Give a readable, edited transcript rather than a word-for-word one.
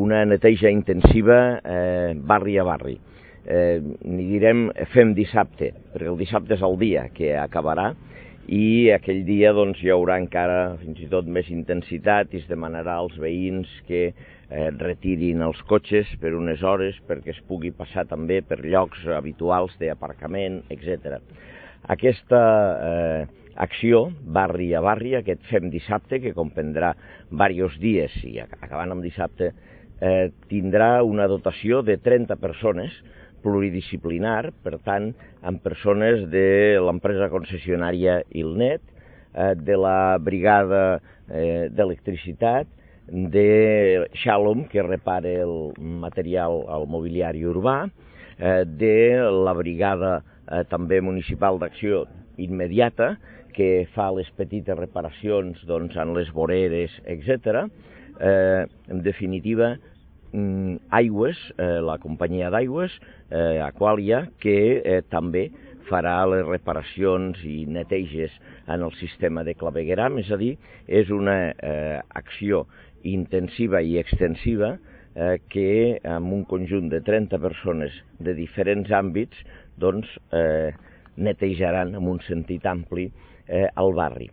una neteja intensiva barri a barri. N'hi direm fem dissabte, perquè el dissabte és el dia que acabarà i aquell dia doncs, hi haurà encara fins i tot més intensitat i es demanarà als veïns que retirin els cotxes per unes hores perquè es pugui passar també per llocs habituals d'aparcament, etc. Aquesta acció, barri a barri, aquest fem dissabte, que comprendrà diversos dies i acabant amb dissabte, tindrà una dotació de 30 persones pluridisciplinar, per tant, amb persones de l'empresa concessionària Ilnet, de la brigada d'electricitat, de Shalom, que repara el material al mobiliari urbà, de la brigada també municipal d'acció immediata, que fa les petites reparacions doncs, en les voreres, etc. En definitiva, Aigües, la companyia d'aigües, Aqualia, que també farà les reparacions i neteges en el sistema de clavegueram, és a dir, és una acció intensiva i extensiva que amb un conjunt de 30 persones de diferents àmbits doncs, netejaran en un sentit ampli el barri.